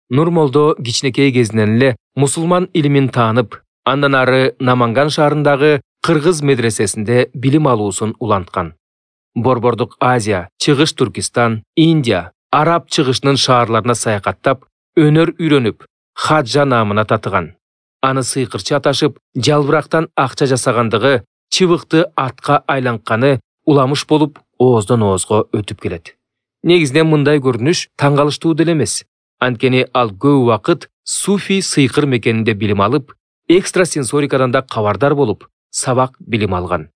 Нурмолдо кичинекей кезинен эле мусулман илимин таанып, андан ары Наманган шаарындагы кыргыз медресесинде билим алуусун уланткан. Борбордук Азия, Чыгыш Туркистан, Индия, Араб чыгышынын шаарларына саякаттап, өнөр үйрөнүп, хаджа наамына татыган. Аны сыйкырчы аташып, жалбырактан акча жасагандыгы, чыбыкты атка айлантканы уламыш болуп, ооздон оозго өтүп келет. Негизинен мындай көрүнүш таң калыштуу деле эмес. Анткени ал көп убакыт суфий сыйкыр мекенинде билим алып, экстрасенсорикадан да кабардар болуп, сабак билим алган.